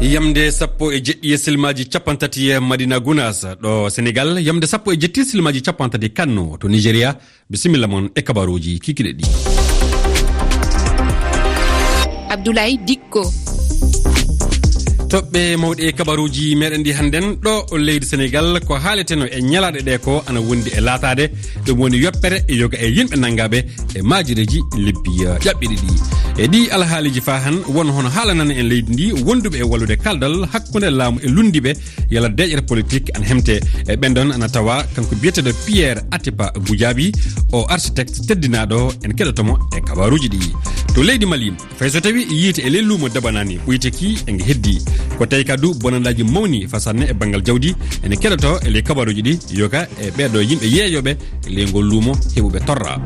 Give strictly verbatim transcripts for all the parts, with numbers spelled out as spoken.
Yamde sappo e jeɗɗi e silmaaji capanɗe tati e Madina Gunaas, ɗo Senegal, yamde sappo e jeɗɗi silmaaji capanɗe tati Kano, to Nigeria. Bisimilla mon e kabaruuji kikiɗe ɗi. Abdoulaye Dikko. Toɓɓe mawɗe e kabaruuji meɗen ɗi hannden, ɗo leydi Senegal, ko haaleteno e ñalaaɗe ɗe ko ana wondi e laataade, ɗum woni yoppere yoga e yimɓe nanngaɓe e maajireeji lebbi, eh, ƴaɓɓiɗi ɗi. E ɗi alhaaliiji faa han, won hono haalanana en leydi ndi wonduɓe e wallude kaldal hakkunde laamu e lunndiiɓe, yala deeƴere politik ana hemte. E ɓen ɗon ana tawa kanko biyeteeɗo Pierre Atepa Goudiaby, o architecte teddinaaɗo, en keɗoto mo e kabaruuji ɗi. To leydi Mali, fay so tawi yiite e ley luumo dabanaani, ɓuyteki e nge heddi. Ko tawi ka du bonandaaji mawni fasanne e banngal jawdi, ene keɗoto e ley kabaruuji ɗi, yoga e ɓeeɗo yimɓe yeeyooɓe e ley ngol luumo heɓuɓe torra.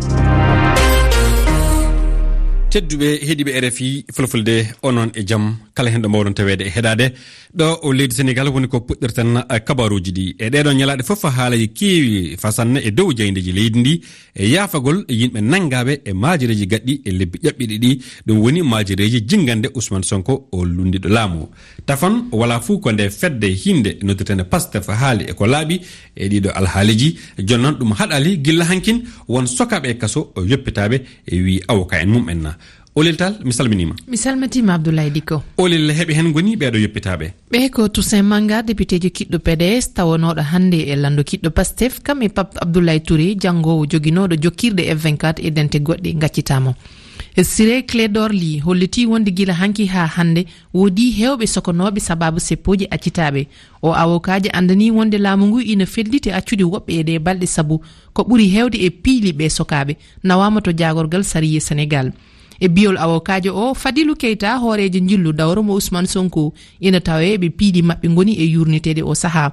Tedduɓe heɗiiɓe R F I Fulfulde, onon e jam, kala hen ɗo mbawɗon taweede e heɗaade. Ɗo o leydi Senegal woni ko puɗɗirten, eh, kabaruuji ɗi. E ɗeeɗo ñalaaɗe fof haalaaji keewi fasanne e dow jayndeeji leydi ndi, e yaafagol e yimɓe nanngaaɓe e maajireeji gaɗɗi e lebbi ƴaɓɓiɗi ɗi, ɗum woni maajireeji jinngande Ousmane Sonko o lunndiiɗo laamu. Tafon wala fuu ko nde fedde hinnde noddirteende Pastef haali e ko laaɓi e ɗiɗo alhaaliiji. Jooni noon ɗum haɗaali gilla hankin won sokaaɓe e kaso yoppitaaɓe e wii awoka en mum en na. Olel Tall, mi salminiima. Mi salmitiima, Abdoulaye Dikko. Olel, heɓe heen ngoni ɓeeɗo yoppitaaɓe? Ɓe ko Toussaint Manga, depiteejo kiɗɗo P D S, tawanooɗo hannde e lanndo kiɗɗo Pastef, kam e Pape Abdoulaye Touré, janngoowo joginooɗo jokkirɗe F vingt-quatre e dente goɗɗe ngaccitaama. E Ciré Clédor Ly hollitii wonde gila hanki haa hannde woodii heewɓe sokonooɓe sabaabu seppooji accitaaɓe. O awokaajo anndanii wonde laamu ngu ina felliti accude woɓɓe e ɗee balɗe sabu ko ɓuri heewde e piili ɓee sokaaɓe nawaama to jaagorgal sariya Senegal. E biyol awokaajo o, Fadilou Keita, hooreejo njillu dawro mo Ousmane Sonko, ina tawee ɓe piili maɓɓe ngoni e yuurniteede o sahaa.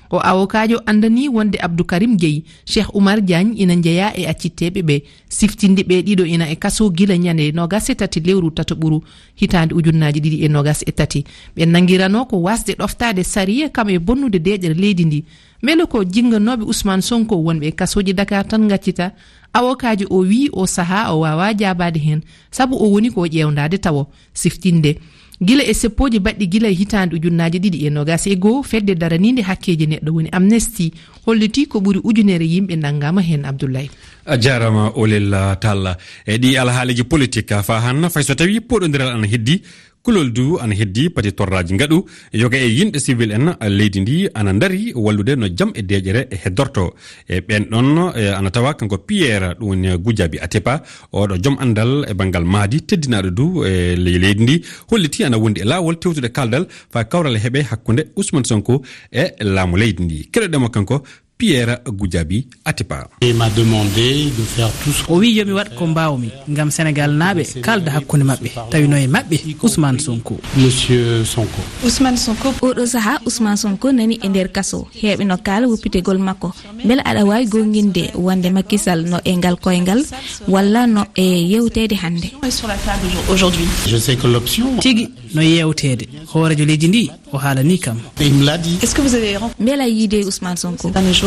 O awokaajo anndanii wonde Abdou Karim Gueye, Cheikh Oumar Diagne ina njeyaa e accitteeɓe ɓe. Siftinde ɓe ɗiɗo ina e kaso gila ñande noogas e tati lewru tataɓuru hitaande ujunnaaji ɗiɗi e noogas e tati. Ɓe nanngiranoo ko waasde ɗoftaade sariya kam e bonnude deeƴere leydi ndi. Mbele ko jinnganooɓe Ousmane Sonko wonɓe e kasooji Dakar tan ngaccita? Awokaajo o wiyi o sahaa o waawaa jaabaade heen, sabu o woni ko ƴeewndaade tawo. Siftinde, gila e seppooji baɗɗi gila e hitaande ujunnaaji ɗiɗi e noogas e goo, fedde daraniinde hakkeeji neɗɗo woni Amnesty hollitii ko ɓuri ujunere yimɓe nanngaama heen, Abdoulaye. A jaaraama, Olel Tall. E ɗi alhaaliiji politik, faa han, fay so tawii poɗondiral ana heddi, kulol du ana heddi, pati torraaji ngaɗu, yoga e yimɓe civil en leydi ndi ana ndari wallude no jam e deeƴere heddorto. E ɓeen ɗon, e, ana tawa kanko Pierre, ɗum woni Goudiaby Atepa, oɗo joom anndal e banngal mahdi, teddinaaɗo du e ley leydi ndi, hollitii ana wondi e laawol tewtude kaaldal faa kawral heɓe hakkunde Ousmane Sonko e laamu leydi ndi. Keɗoɗen mo kanko Pierre Goudiaby Atepa. Et m'a demandé de faire tout ce O wiyi yo mi waɗ ko mbaawmi ngam Senegaalnaaɓe kaalda hakkunde maɓɓe, tawi no e maɓɓe Ousmane Sonko. Monsieur Sonko. Ousmane Sonko. Oɗo sahaa, Ousmane Sonko nani e nder kaso. Heɓe no kaala woppitegol makko. Mbele aɗa waawi goonginde wonde Macky Sall no e ngal koyngal walla no e yewteede hannde? Sur la table aujourd'hui. Je sais que l'option Tigi no yeewteede. Hooreejo leydi ndi o haalanii kam. Il me l'a dit. Est-ce que vous avez rencontré Mbela yiide Ousmane Sonko? Ces derniers jours?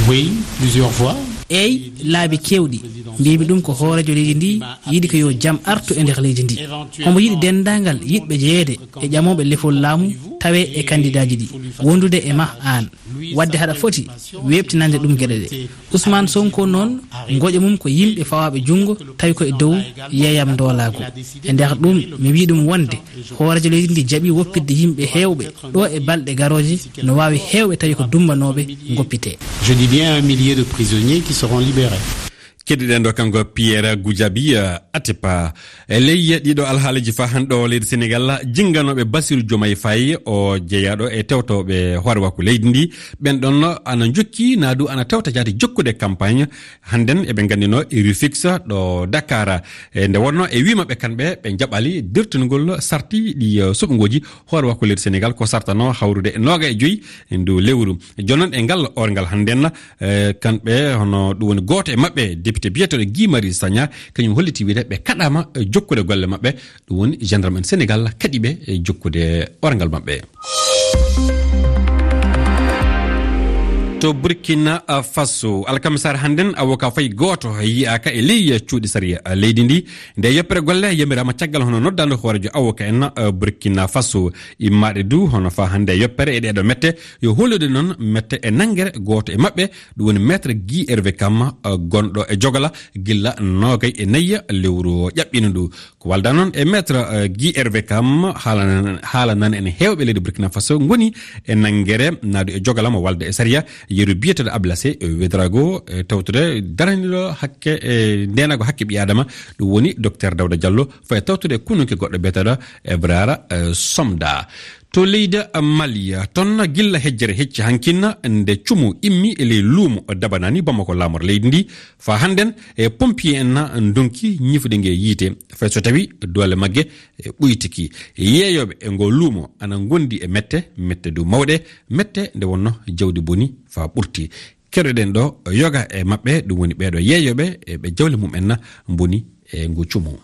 Oui, plusieurs fois. Eey, laabi keewɗi. Mbiymi ɗum ko hooreejo leydi ndi yiɗi ko yo jam artu e nder leydi ndi. Omo yiɗi denndaangal yiɗɓe jeyeede e ƴamooɓe lefol laamu tawee e kandidaaji ɗi, wondude e ma aan. Waɗde haɗa foti weeɓtinande ɗum geɗe ɗe. Ousmane Sonko noon, ngoƴa mum ko yimɓe fawaaɓe junngo, tawi ko e dow yeeyam ndoolaagu. E nder ɗum, mi wiyi ɗum wonde hooreejo leydi ndi jaɓi woppitde yimɓe heewɓe ɗo e balɗe garooje, no waawi heewɓe tawi ko dumbanooɓe ngoppitee. Je dis bien un millier de prisonniers qui seront libérés. Keddiɗen ɗo kanko Pierre Goudiaby, eh, Atepa. E ley ɗiɗo alhaaliiji faa han ɗo leydi Senegal, jinnganooɓe Bassirou Diomaye Faye o jeyaaɗo e tewtooɓe hoore wakko leydi ndi, ɓen ɗon ana njokki naa du ana tewta jaati jokkude campagne. Hannden eɓe nganndinoo e Rufisque ɗo Dakar. E nde wonnoo e wii maɓɓe kamɓe ɓe njaɓali dirtingol sarti ɗi, eh, suɓngooji hoore wakko leydi Senegal ko sartanoo hawrude e nooga e joyi e ndu lewru. Jooni noon e ngal orngal hannden, eh, kamɓe hono ɗum woni gooto e maɓɓe, député biyeteeɗo Guy Marius Sagna, kañum hollitii wiide ɓe kaɗaama, eh, jokkude golle maɓɓe. Ɗum woni gendarme en Senegal kaɗi ɓe, eh, jokkude orngal maɓɓe. To Burkina Faso, alkamisaare hannden, avocat fay gooto yiyaaka e ley cuuɗi sariya leydi ndi. Nde yoppere golle yamiraama caggal hono noddaandu hooreejo avocat en, eh, Burkina Faso. Immaaɗe du hono faa hannde yoppere e ɗeeɗo mette, yo hollude noon mette e nanngere gooto e maɓɓe, ɗum woni Maître Guy Hervé Kam, eh, gonɗo e Jogala gilla noogay e nayi lewru ƴaɓɓiino ndu. Ko walda noon e Maître, eh, Guy Hervé Kam, haalana-, haalanani en heewɓe leydi Burkina Faso ngoni e nanngere naadu e Jogala mo walda e sariya, yeru biyeteeɗo Ablassé Ouédraogo, e tawtude daraniiɗo hakke, e ndeenago hakke ɓii Aadama, ɗum woni Docteur Daouda Diallo, fayi tawtude e kununke goɗɗo biyeteeɗo Ebrara, eh, Somda. To leydi Mali, toon gilla hejjere hecci hankin nde cumu immi e ley luumo Dabanani Bamako laamor leydi ndi. Faa hannden e pompier en ndonki ñifude nge yiite, fay so tawi doole magge e ɓuytiki. Yeeyooɓe e ngo luumo ana ngondi e mette, mette du mawɗe, mette nde wonno jawdi boni faa ɓurti. Keɗoɗen ɗo yoga e maɓɓe, ɗum woni ɓeeɗo yeeyooɓe e ɓe jawle mum en mboni e ngu cumu.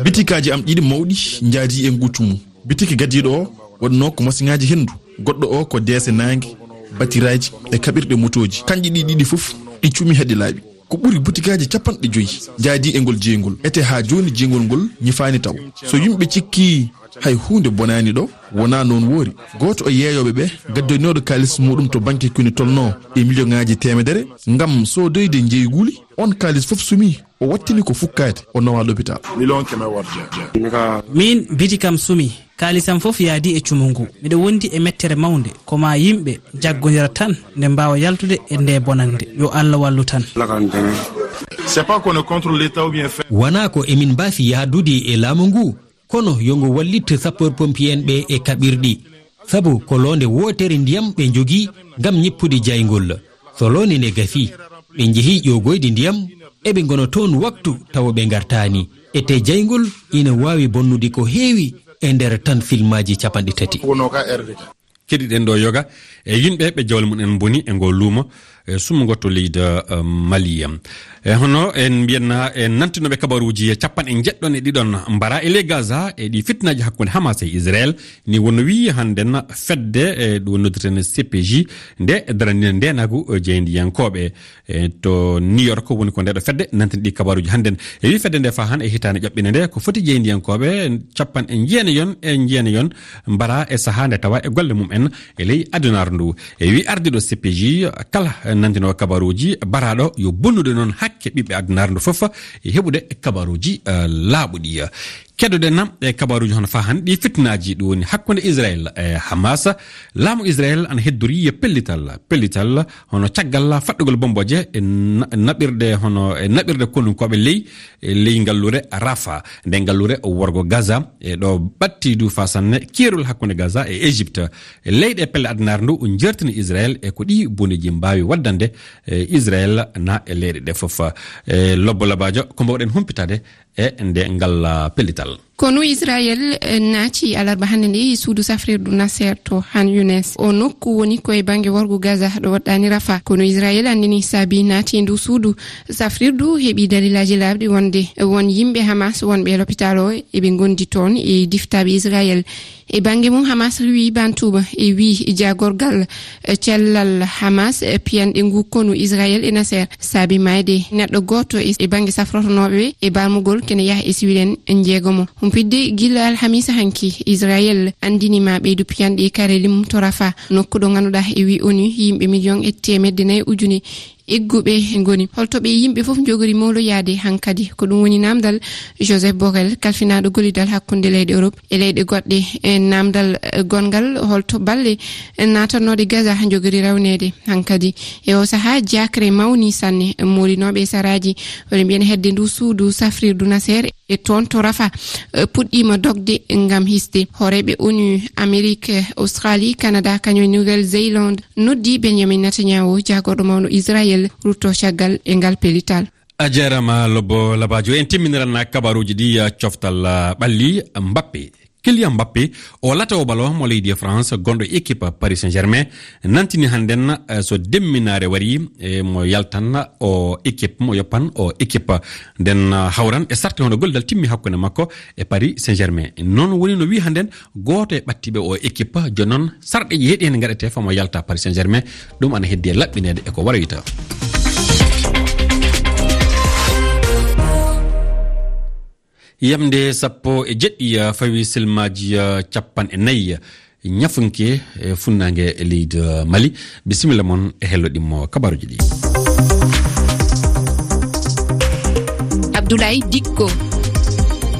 Bitikaaji am ɗiɗi mawɗi njaadi e ngu cumu. Bitiki gadiiɗo o waɗno ko masiŋaaji henndu, goɗɗo o ko deese naange, batiraaji e kaɓirɗe motooji. Kanƴi ɗi ɗiɗi fof ɗi cumi haa ɗi laaɓi. Ko ɓuri butikaaji capanɗe joyi njaadi e ngol jeyngol. Ete haa jooni jeyngol ngol ñifaani taw. So yimɓe cikki hay huunde bonaani ɗo, wonaa noon woori. Gooto e yeeyooɓe ɓe gaddoynooɗo kaalis muɗum to banke kuni tolno e miliyoŋaaji teemedere ngam soodoyde njeyguli, on kaalis fof sumi. O wattini ko fukkaade, o nawa lopital. Miin, biti kam sumi, kaalisam fof yaadi e cumu ngu. Miɗo wondi e mettere mawnde, ko maa yimɓe jaggondira tan nde mbaawa yaltude e nde bonannde. Yo Allah wallu tan. C'est pas qu'on est contre l'État ou bien fait. Wonaa ko emin mbaafi yahdude e laamu ngu, kono yo ngu wallit sapeur pompier en ɓe e kaɓirɗi. Sabu ko loonde wootere ndiyam ɓe njogii ngam ñippude jayngol. So loonde nde gasii, ɓe njehii ƴoogoyde ndiyam, eɓe ngona toon waktu tawa ɓe ngartaani. Ete jayngol ina waawi bonnude ko heewi e nder tan filmaaji capanɗe tati. Keɗiɗen ɗo yoga e yimɓe ɓe jawle mum en mboni e ngo luumo, e sumngo to leydi, eh, Mali. E hono en mbiyanna en nantinooɓe kabaruuji capanɗe njeɗɗon e ɗiɗon mbara e ley Gaza e ɗi fitnaaji hakkunde Hamas e Israel. Ni wonno wiyi hannden fedde, e ɗum noddirten C P J, nde daraniino ndeenaagu, eh, jeyndiyankooɓe, eh, to New York woni ko ndeeɗo fedde nantini ɗi kabaruuji hannden. E wi fedde nde faa han e hitaande ƴaɓɓinde nde ko foti jeyndiyankooɓe capanɗe jeenayon e jeenayon mbara e sahaa nde tawa e golle mum en e ley adunaaru ndu. E wi ardiiɗo C P J kala nantinoowo kabaruuji baraaɗo yo bonnude noon hakke ɓiɓɓe adunaaru ndu fof e heɓude kabaruuji, eh, laaɓuɗi. Keddoɗen e kabaruuji hono faa han ɗi fitnaaji ɗum woni hakkunde Israel e Hamas. Laamu Israel ana heddori pellital, pellital hono caggal faɗɗugol bomboje e na-, naɓirde hono e naɓirde konunkooɓe ley, e ley ngalluure Rafa, nde ngalluure worgo Gaza, e ɗo ɓatti du faa sanne keerol hakkunde Gaza e Égypte. E leyɗe pelle addunaare ndu jertini Israel e ko ɗi boneeji mbaawi waddande, e Israel na e leyɗe ɗe fof. E Lobbo Labaajo, ko mbawɗen humpitaade e nde ngal, ah, pellital. Konu Israel, eh, naati alarba hannde nde e suudu safrirdu Nasser to Han Younes. O nokku woni ko e bannge worgo Gaza ɗo woɗɗaani Rafa. Konu Israel anndini saabi naati e ndu suudu safrirdu heɓi dalilaaji laaɓɗi wonde won yimɓe Hamas wonɓe e lopitaal o eɓe ngondi toon e diftaaɓe Israel. E bannge mum, Hamas riiwi bantuuma e wii jaagorgal, eh, cellal Hamas, eh, piyanɗe ngu konu Israel e Nasser saabi maayde neɗɗo gooto e, e bannge safrotonooɓe ɓe e barmugol kene yaha e siwil en jeegomo. Humpitde gila alhamiisa hanki, Israel anndini ma ɓeydu piyanɗe e kareli mum to Rafa, nokku ɗo ngannduɗaa e wii ONU yimɓe miliyoŋ e teemedde nayi ujune egguɓe ngoni. Holto ɓe yimɓe fof njogori mawloyaade hankadi? Ko ɗum woni naamndal Joseph Borrell, kalfinaaɗo gollidal hakkunde leyɗe Europe e leyɗe goɗɗe. E naamndal, eh, gonngal, holto balle, eh, naatannooɗe Gaza njogori rewneede hankadi? E o sahaa, jaakre mawni sanne. Moolinooɓe e saraaji, woni mbiyen hedde ndu suudu safrirdu Nasser e toon to Rafa, eh, puɗɗiima dogde ngam hisde. Hooreeɓe ONU, Amerique, Australie, Canada, kañum e Nouvelle-Zélande noddi Benjamin Netanyahu, jaagorɗo mawɗo Israel, rutto caggal e ngal pellital. A jaaraama, Lobbo Labaajo. En timminiran kabaruuji ɗi, eh, coftal, eh, ɓalli Mbappe. Kylian Mbappé, o latawo balo mo leydi France, gonɗo équipe Paris Saint-Germain, nantini hannden, eh, so demminaare wari, eh, mo yaltan o équipe, mo yoppan o équipe. Nden, eh, hawran e sarte hono gollidal timmi hakkunde makko e Paris Saint-Germain. Noon woni no wi'i hannden gooto e ɓattiiɓe o équipe. Jooni noon sarɗeeji heɗi heen ngaɗetee faa mo yalta Paris Saint-Germain. Ɗum ana heddi e laɓɓineede e ko waroyta. Yamnde sappo e jeɗɗi, uh, fawi silmaaji, uh, capanɗe nayi, uh, ñafunke e funnaange e leydi, uh, Mali. Bisimilla mon e hello ɗimmo kabaruji ɗi. Abdoulaye Dikko.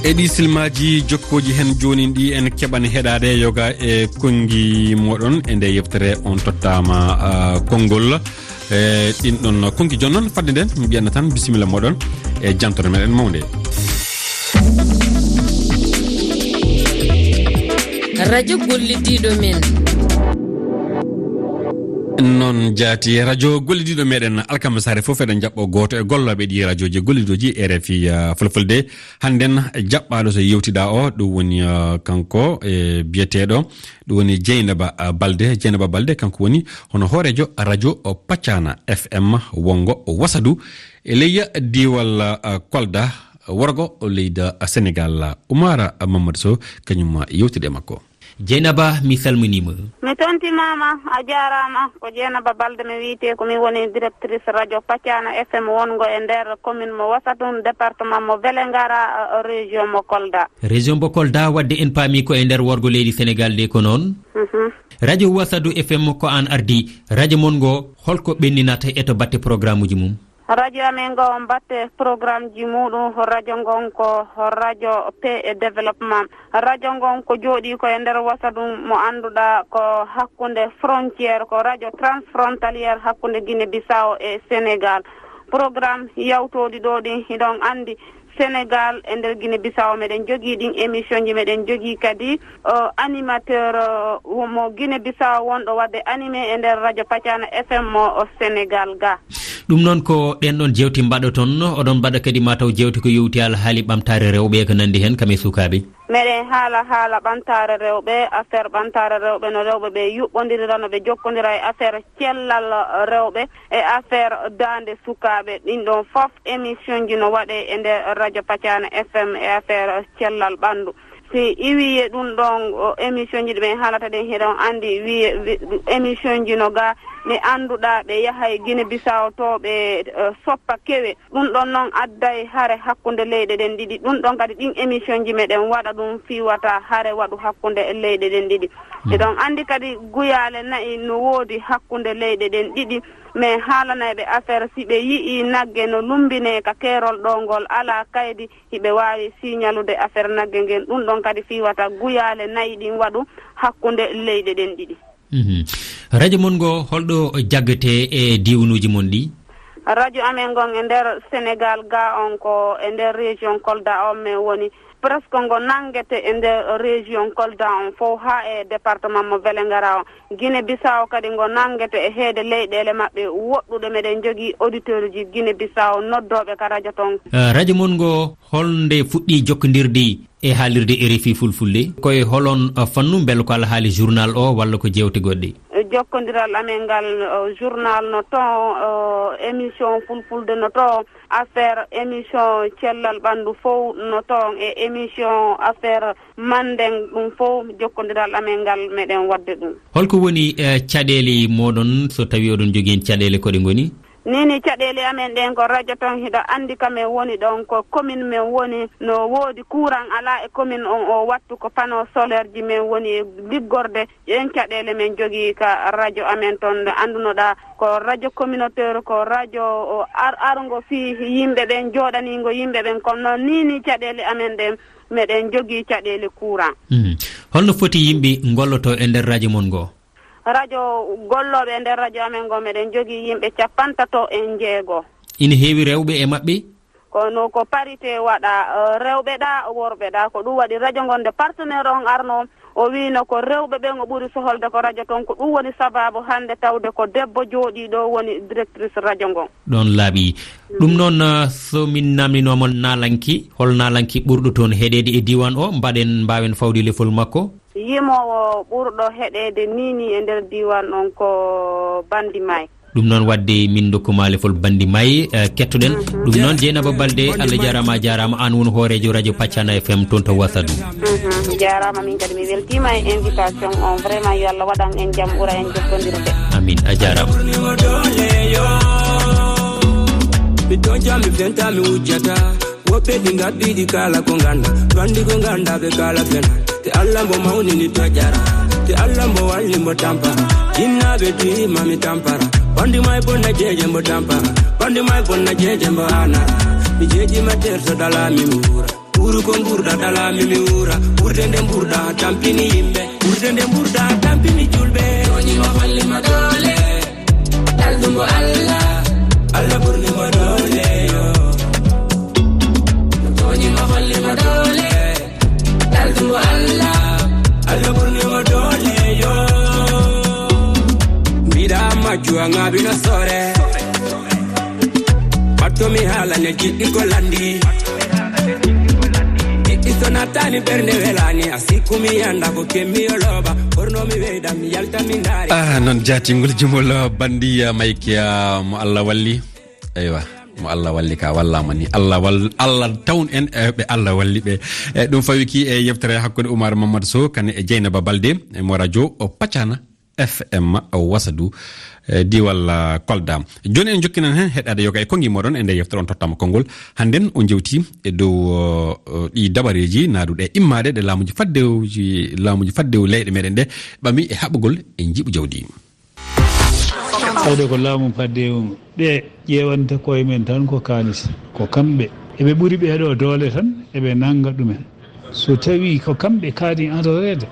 E ɗi silmaaji jokkooji heen jooni ɗi en keɓan heɗaade yoga e konngi moɗon e nde yeftere on tottaama, uh, konngol. E ɗin ɗon konki jonnon, fadde nden, mi ɓiyanna tan bisimilla moɗon e jantore meɗen mawnde. Radio gollidiɗo men. Noon jaati, radio gollidiɗo meɗen alkamisa hare fof eɗen jaɓɓo gooto e gollooɓe ɗi radioji gollidoji R F I, uh, Fulfulde. Hannden jaɓɓaaɗo so yewtiɗa o, ɗum woni, uh, kanko, e biyeteeɗo, ɗum woni Jeynaba, uh, Balde. Jeynaba Balde, kanko woni hono hooreejo radio Pacana F M wongo Wasadu e leyya diiwal, uh, Kolda, worgo leyda Senegal. Umara Mamadou Sow, kañum yewtide e makko. Jeynaba, mi salminiima. Mi tontimaama, a jaaraama. Ko Jeynaba Balde mi wiyetee, ko mi woni directrice radio Pacana F M wongo e nder commune mo Wasadu, département mo Vélingara, uh, région mo Kolda. Région mo Kolda, wadde en paami ko e nder worgo leydi Senegal de, ko noon? Mhm. Radio Wasadu F M ko aan ardi. Radio mon ngo, holko ɓenninata e to batte programuji mum? Radio amen ngo, batte programmeji muɗum, radio ngon ko radio paix et développement. Radio ngon ko jooɗi ko e nder Wasadu mo annduɗaa ko hakkunde frontière, ko radio transfrontalière hakkunde Guinée Bissau e Sénégal. Programme yawtooɗi ɗo ɗin, hiɗon anndi Sénégal, e nder Guinée Bissau, meɗen jogii ɗin émission ji, meɗen jogii kadi, o, animateur, o, mo Guinée Bissau wonɗo waɗde animé e nder radio Pacana F M mo, o, Sénégal ga. Ɗum noon ko ɗen ɗon jewte mbaɗoton, oɗon mbaɗa kadi mataw jewte ko yowti alhaali ɓamtaare rewɓe e ko nandi heen, kam e sukaaɓe. Meɗen haala haala ɓamtaare rewɓe, affaire ɓamtaare rewɓe, no rewɓe ɓe yuɓɓondirira, no ɓe jokkondira e affaire cellal rewɓe e affaire daande sukaaɓe. Ɗin ɗon fof émission ji no waɗe e nder radio Pacana F M e affaire cellal ɓanndu. Si iwi e ɗum ɗon, o, émission ji ɗi ɓen haalata ɗen, hiɗon anndi wi-, wi-, émission ji no ga, ɓe annduɗaa, ɓe yahay Guinée Bissau to ɓe, eh, soppa kewe. Ɗum ɗon noon adday hare hakkunde leyɗe ɗen ɗiɗi. Ɗum ɗon kadi ɗin émission ji meɗen waɗa ɗum fii wata hare waɗu hakkunde leyɗe ɗen ɗiɗi. Mm. Eɗon anndi kadi guyaale nayi no woodi hakkunde leyɗe ɗen ɗiɗi. Mais haalanay ɓe affaire si ɓe yi'i nagge no lumbinee ka keerol ɗo ngol alaa kaydi, hiɓe waawi siñalude affaire nagge ngen. Ɗum ɗon kadi fii wata guyaale nayi ɗin waɗu hakkunde leyɗe ɗen ɗiɗi. Mhm. Radio mon ngo holɗo jaggete e diiwnuuji mon ɗi? Radio amen ngon e nder Sénégal ga on ko e nder région Kolda on men woni. Presque ngo nanngete e nder région Kolda on fof haa e département mo Vélingara on. Guinée Bissau kadi ngo nanngete e heede leyɗeele maɓɓe woɗɗuɗe. Meɗen jogii auditeur uji Guinée Bissau noddooɓe ka radio ton. Eh, radio mon ngo holnde fuɗɗi jokkondirde e haalirde R F I Fulfulde? Ko e holon, uh, fannu, mbele ko alhaali journal o walla ko jeewte goɗɗe? Jokkondiral amen ngal, uh, journal no ton, uh, émission Fulfulde no ton, affaire émission cellal ɓanndu fof no ton, e émission affaire Mandeng ɗum fof, jokkondiral amen ngal meɗen waɗde ɗum. Holko woni, uh, caɗeele moɗon so tawi oɗon jogii heen caɗeele, ko ɗe ngoni? Ni ni caɗeele amen ɗen ko radio ton, hiɗa anndi ka men woni ɗon, ko commune men woni, no woodi courant alaa e commune on o wattu, ko panneau solaire ji men woni e liggorde. Ɗen caɗeele men jogii ka radio amen ton, nde anndunoɗaa ko radio communautaire, ko radio o ar-, arngo fii yimɓe ɓen, jooɗaniingo yimɓe ɓen, kono noon ni ni caɗeele amen ɗen, meɗen jogii caɗeele courant. Mhm. Holno foti yimɓe ngolloto e nder radio mon ngo? Radio, gollooɓe e nder radio amen ngo, meɗen jogii yimɓe capantato e njeego. Ina heewi rewɓe e maɓɓe? Kono ko parité waɗa, eh, rewɓe ɗa, worɓe ɗa. Ko ɗum waɗi radio ngon nde partenaire on arno, o wiino ko rewɓe ɓen o ɓuri soholde ko radio ton. Ko ɗum woni sababu hannde tawde ko debbo jooɗii ɗo woni directrice radio ngon. Ɗon laaɓi. Ɗum noon, eh, so min namninooma naalanki, hol naalanki ɓurɗo toon heɗeede e diiwaan o? Mbaɗen, mbaawen fawde lefol makko. Yimoowo ɓurɗo heɗeede ni ni e nder diiwaan on ko Bandi May. Ɗum noon, waɗde min ndokku ma lefol Bandi May, eh, kettoɗen. Mhm. Ɗum noon, Jeynaba Balde, Allah jaaraama, a jaaraama. Aan woni hooreejo radio Pacana F M toon to Wasadu. Mhm. Mi jaaraama, min kadi mi weltiima e invitation on. Vraiment, yo Allah waɗan en jam, ɓura en jokkondirde. Amin, a jaaraama. Mi toñca, mi fenta, mi wujjata. Woɓɓe ɗi ngabbiɗi kala ko ngannda, to anndi ko ngannda ɓe kala fena. Te Allah mbo mawnini to jara, te Allah mbo walli mbo tampara. Jinnaaɓe dima mi tampara, Bandi May bonna jeeje mbo tampara, Bandi May bonna jeeje mbo anara. Mi jeeji ma terso dala mi muura, ɓuru ko mburda dala mi mi wuura. Ɓurde nde mburda tampini yimɓe, ɓurde nde mburda tampini julɓe. Toñi ma holli ma doole. Daldungo Allah, Allah ɓurni mo doole yo. Toñi mo holli mo doole. Daldungo Allah, Allah ɓurni mo doole yo. Mbiɗa majju a ŋaaɓino sore. Batto mi haalane jiɗɗi ko lanndi. Jiɗɗi so nattani ɓernde welani. A sikku mi yanda ko kemmi yo looba. Ɓorno mi weyda mi yalta mi ndaari. Ah, noon jaatingol jumol, ah, Bandi, ah, Mayke, ah, mo Allah walli. Eywa, mo Allah walli ka wallama ni. Allah wal-, Allah tawn en, eh, ɓe Allah walli ɓe. Eh, ɗum fawi ki e yewtere hakkunde Oumar Mamadou Sow, kane e Dieynaba Balde, e mo radio o Pacana F M o Wasadu, eh, diwal, ah, Kolda. Joni en jokkinan hen heɗade yoga e kongi moɗon e nder yewtere on tottama konngol. Hannden o jewti e dow, oh, oh, ɗi dabareeji naaduɗe immade ɗe laamuji faddewji, laamuji faddewu leyɗe meɗen ɗe ɓami e haɓugol e njiɓu jawdi. Tawde ko laamu faddewu ɓe ƴeewanta koye men tan ko kaalis, ko kamɓe. Eɓe ɓuri ɓee ɗoo doole tan, eɓe nannga ɗumen. So tawii ko kamɓe kaani adoreede,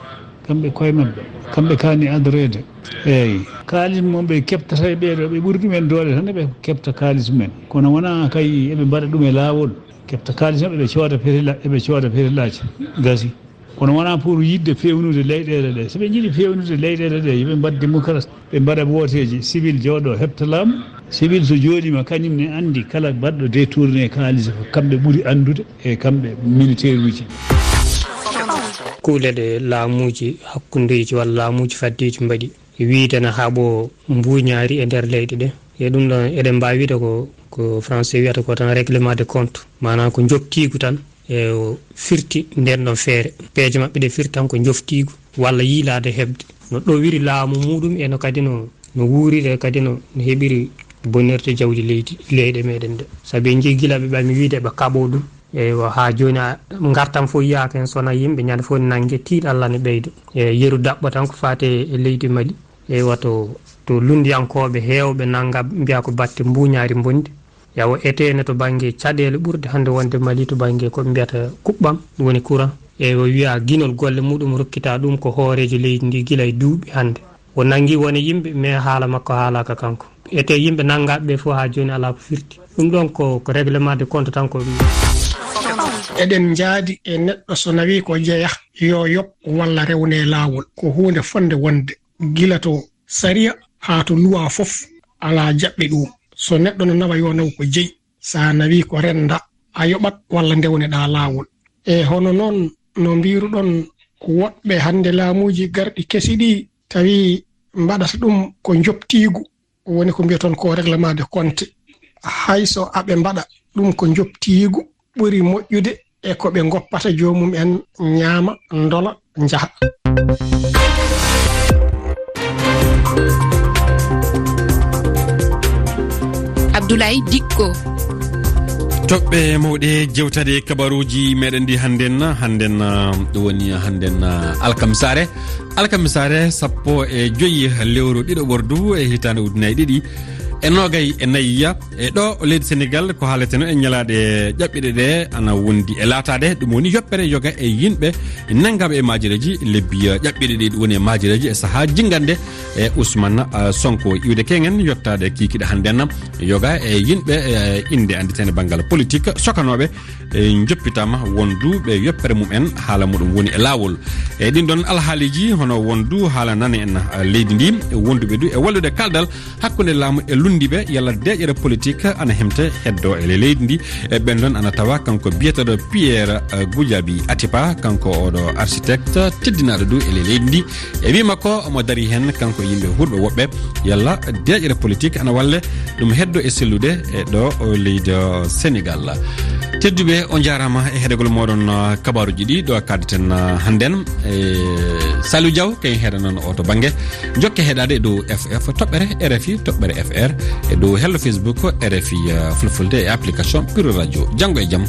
kamɓe koye maɓɓe, kamɓe kaani adoreede. Eeyi, kaalis mo ɓe keɓtata e ɓee ɗoo, ɓe ɓuri ɗumen doole tan, eɓe keɓta kaalis mumen. Kono wonaa kay eɓe mbaɗa ɗum e laawol, keɓta kaalis maɓɓe, ɓe cooda fetila-, eɓe cooda fetilaaji, gasi. Kono wonaa pour yiɗde feewnude leyɗeele ɗe. So ɓe njiɗi feewnude leyɗeele ɗe, yo ɓe mbaɗ démocratie, ɓe mbaɗa wooteeji, civil jooɗo heɓta laamu. Civil so jooɗiima, kañum ne anndi kala baɗɗo détourné kaalis ko kamɓe ɓuri anndude e kamɓe militaire uji. Kuule ɗe laamuuji hakkundeeji walla laamuuji faddeeji mbaɗi, wiide na haɓo mbuuñaari e nder leyɗe ɗe. E ɗum ɗon, eɗen mbaawi wiide ko, ko français wiyata ko tan règlement de compte, maanaam ko njoftiigu tan. E o firti nden ɗon feere. Peeje maɓɓe ɗe firti tan ko njoftiigu walla yiilaade heɓde. No ɗowiri laamu muuɗum e no kadi no, no wuuriri e kadi no, no heɓiri bonirde jawdi leydi, leyɗe meɗen ɗe. Sabu en njii gila ɓe ɓami wiide ɓe kaɓo ɗum. Eywa, haa jooni a, ngartam fof yiyaaka heen, so wonaa yimɓe ñande fof nannge tiiɗalla ne ɓeydo. E yeru daɓɓo tan ko faati e leydi Mali. Eywa, to, to lunndiyankooɓe heewɓe nannga mbiya ko batte mbuuñaari mbonndi. Yawo eteene to bannge caɗeele ɓurɗe hannde wonde Mali to bannge ko ɓe mbiyata kuɓɓam, ɗum woni courant. E o wiya ginol golle muɗum rokkita ɗum ko hooreejo leydi ndi gila e duuɓi hannde. O nanngi wone yimɓe, mais haala makko haalaaka kanko. Ete yimɓe nanngaɓe ɓe fof haa jooni alaa ko firti. Ɗum ɗon ko, ko règlement de compte tan ko. Eɗen njaadi e neɗɗo so nawi ko jeya, yo yoɓ walla rewne laawol. Ko huunde fonde wonde gila to sariya haa to luwa fof alaa jaɓɓe ɗum. So neɗɗo no nawa yo naw ko jeyi, so a nawi ko rennda, a yoɓat walla ndewneɗaa laawol. E hono noon no mbiruɗon woɗɓe hannde laamuuji garɗi kesi ɗi tawi mbaɗata ɗum ko njoptiigu, woni ko mbiyaton ko règlement de compte. Hay so aɓe mbaɗa ɗum ko njoptiigu, ɓuri moƴƴude e ko ɓe ngoppata joomum en ñaama, ndola, njaha. Abdoulaye Dikko. Toɓɓe mawɗe jewtade kabaruuji meɗen ɗi hannden, hannden, ah, ɗum woni hannden, ah, alkamisaare. Alkamisaare sappo e joyi lewru ɗiɗo ɓordu e hitaande ujunnaji ɗiɗi e noogay e nayi. E ɗo leydi Senegal, ko haaleteno e ñalaaɗe ƴaɓɓiɗe ɗe ana wondi e laataade, ɗum woni yoppere yoga e yimɓe nanngaaɓe e maajireeji lebbi ƴaɓɓiɗe ɗi woni e maajireeji e sahaa jinngande e Ousmane Sonko. Iwde keŋen yottaade kiikiɗe hannden yoga e yimɓe e innde annditeende banngal politik sokanooɓe e njoppitaama wonduɓe yoppere mum en haala muɗum woni e laawol. E ɗin ɗon alhaaliiji hono wondu haala nane en leydi ndi, wonduɓe du e wallude kaldal hakkunde laamu e lunndiɓe yalla deeƴere politik ana hemte heddo e leydi ndi. E ɓen ɗon ana tawa kanko biyeteɗo Pierre Goudiaby Atepa, kanko oɗo architecte teddinaɗo du e leydi ndi. E wi makko omo dari hen kanko e yimɓe hurɓe woɓɓe yalla deeƴere politik ana walle ɗum heddo e sellude e ɗo leydi Senegal. Tedduɓe, on jaaraama e heɗegol moɗon, uh, kabaruji ɗi ɗo kaddeten, uh, hannden. E Saliou Diaw kay heɗanon o to bannge. Jokke heɗade dow F F toɓɓere R F I toɓɓere F R e dow hello Facebook R F I, uh, fulfulde e application Pure Radio. Janngo e jam.